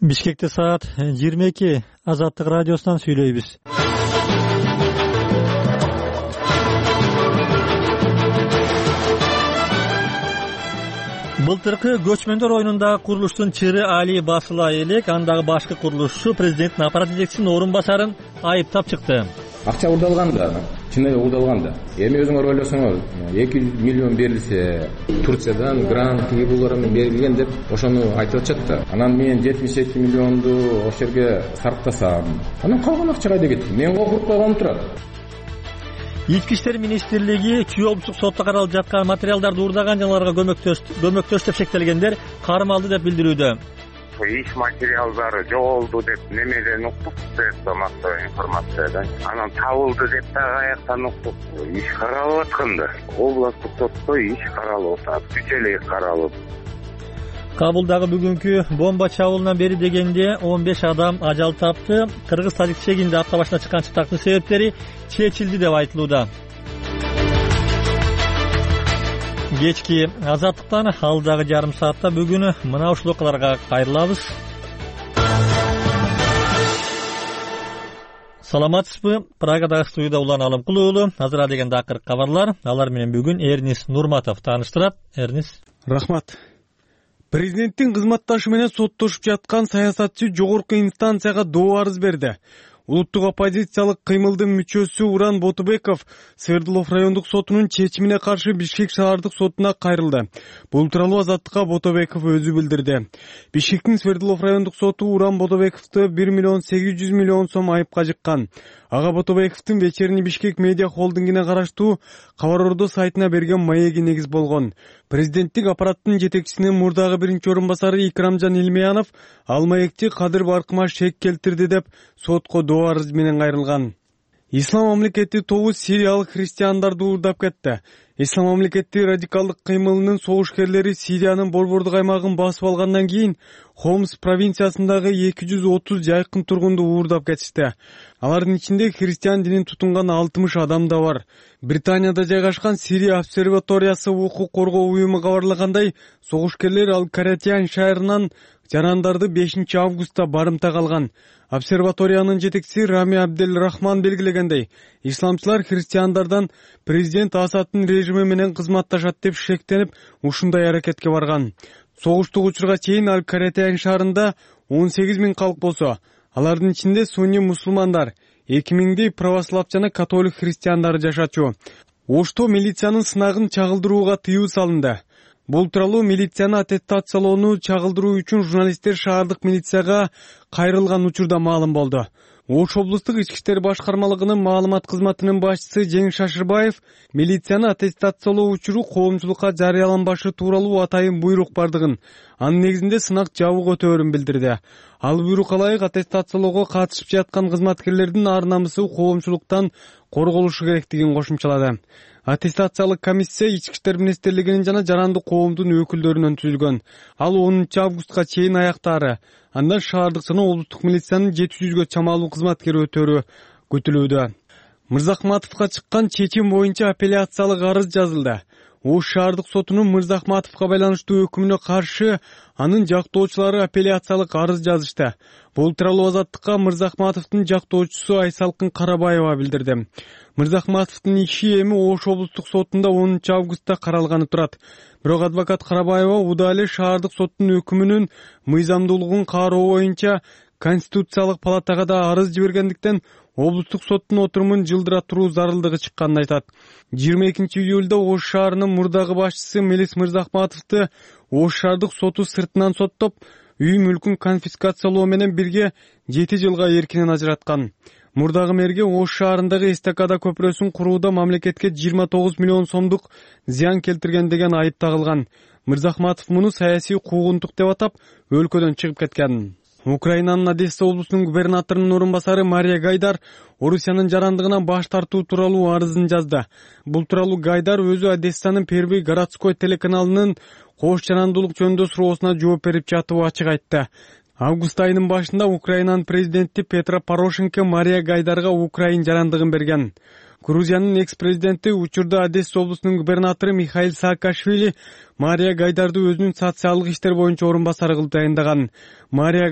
Бишкекте саат 22. Азаттык радиосунан сүйлөйбүз. Былтыркы көчмөндөр оюнундагы курулуштун чыры Али басыла элек андагы башкы курулушчу президенттин аппарат жетекчисинин орун басарын айыптап чыкты. Акча уурдалган да, чын эле уурдалган да. Эми өзүңөр ойлосоңор, 200 миллион берилсе, Турциядан грант кийбулар менен берилген деп ошону айтып атышат да. Анан мен 72 миллионду ошол жерге сарптасам, анан калган акча кайда кетти? Мен окуп койгонум турат. Ички иштер министрлиги Чүй облустук сотто каралып жаткан материалдарды уурдаган жана аларга көмөктөш деп шектелгендер кармалды деп билдирүүдө. Иш материалдары жоголду деп немеден уктук деп мактоо информациядан. Анан табылды деп да каяктан уктук. Иш каралып атканда областтык сотто иш каралып атат. Бүчөлүк каралып. Кабулдагы бүгүнкү бомба чабуулунан бери дегенде 15 адам ажал тапты. Кыргыз-Тажик чегинде апта башына чыккан чытактын себептери чечилди деп айтылууда. Кечки азаттыктан алдагы жарым саатта бүгүн мына ушул окуяларга кайрылабыз. Саламатсызбы? Прагадагы студияда Улан Алымкул уулу. Азыр дегенде акыркы кабарлар. Алар менен бүгүн Эрнис Нурматов тааныштырат. Эрнис. Рахмат. Президенттин кызматташы менен соттошуп жаткан саясатчы жогорку инстанцияга доо арыз берди. Улуттук оппозициялык кыймылдын мүчөсү Уран Ботобеков Свердлов райондук сотунун чечимине каршы Бишкек шаардык сотуна кайрылды. Бул тууралуу Азаттыкка Ботобеков өзү билдирди. Бишкектин Свердлов райондук соту Уран Ботобековду 1 миллион 800 миллион сом айыпка жыккан. Ага Ботобековдун Вечерний Бишкек медиа холдингине караштуу Кабар Ордо сайтына берген маеги негиз болгон. Президенттик аппараттын жетекчисинин мурдагы биринчи орун басары Икрамжан Илмиянов ал маекти Кадыр Баркыма шек келтирди деп сотко доо арыз менен кайрылган. Ислам мамлекети тобу сириялык христиандарды уурдап кетти. Ислам мамлекети радикалдык кыймылынын согушкерлери Сириянын борбордук аймагын басып алгандан кийин Хомс провинциясындагы 230 жайкын тургунду уурдап кетишти. Алардын ичинде христиан динин тутунган 60 адам да бар. Британияда жайгашкан Сирия обсерваториясы укук коргоо уюму кабарлагандай, согушкерлер Ал-Каратиян шаарынан жарандарды 5 августта барымта калган. Обсерваториянын жетекчиси Рами Абдель Рахман белгилегендей, исламчылар христиандардан президент Асадтын режими менен кызматташат деп шектенип, ушундай аракетке барган. Согуштук учурга чейин Ал-Каратиян шаарында 18 000 калк болсо, алардын ичинде сунни мусулмандар, 2000дей православ жана католик христиандары жашачу. Ошто милициянын сынагын чагылдырууга тыюу салынды. Бул тууралуу милицияны аттестациялоону чагылдыруу үчүн журналисттер шаардык милицияга кайрылган учурда маалым болду. Ош облустук ички иштер башкармалыгынын маалымат кызматынын башчысы Жеңиш Шашырбаев милицияны аттестациялоо учуру коомчулукка жарыяланбашы тууралуу атайын буйрук бардыгын, анын негизинде сынак жабуу өтөөрүн билдирди. Ал буйрукка ылайык аттестациялоого катышып жаткан кызматкерлердин ар намысы коомчулуктан корголушу керектигин кошумчалады. Аттестациялык комиссия Ички иштер министрлигинин жана жарандык коомдун өкүлдөрүнөн түзүлгөн. Ал 10 августка чейин аяктаары. Андан шаардык жана облустук милициянын 700гө чамалуу кызматкери өтөөрү күтүлүүдө. Мырзахматовго чыккан чечим боюнча апелляциялык арыз жазылды. Ош шаардык сотунун Мырзахматовго байланыштуу өкүмүнө каршы анын жактоочулары апелляциялык арыз жазышты. Бул тууралуу Азаттыкка Мырзахматовдун жактоочусу Айсалкын Карабаева билдирди. Мырзахматовдун иши эми Ош облустук сотунда 10 августта каралганы турат. Бирок адвокат Карабаева уда эле шаардык соттун өкүмүнүн мыйзамдуулугун кароо боюнча Конституциялык палатага да арыз жибергендиктен облустук соттун отурумун жылдыра туруу зарылдыгы чыкканын айтат. 22 июлда Ош шаарынын мурдагы башчысы Мелис Мырзахматовду Ош шаардык соту сыртынан соттоп, үй мүлкүн конфискациялоо менен бирге 7 жылга эркинен ажыраткан. Мурдагы мэрге Ош шаарындагы эстакада көпүрөсүн курууда мамлекетке 29 миллион сомдук зыян келтирген деген айып тагылган. Мырзахматов муну саясий куугунтук деп атап, өлкөдөн чыгып кеткен. Украинанын Одесса облусунун губернаторунун орун басары Мария Гайдар Орусиянын жарандыгынан баш тартуу тууралуу арызын жазды. Бул тууралуу Гайдар өзү Одессанын Первый городской телеканалынын кош жарандуулук жөнүндө суроосуна жооп берип жатып ачык айтты. Август айынын башында Украинанын президенти Петро Порошенко Мария Гайдарга Украин жарандыгын берген. Грузиянын экс-президенти учурда Одесса облусунун губернатору Михаил Саакашвили Мария Гайдарды өзүнүн социалдык иштер боюнча орун басары кылып дайындаган. Мария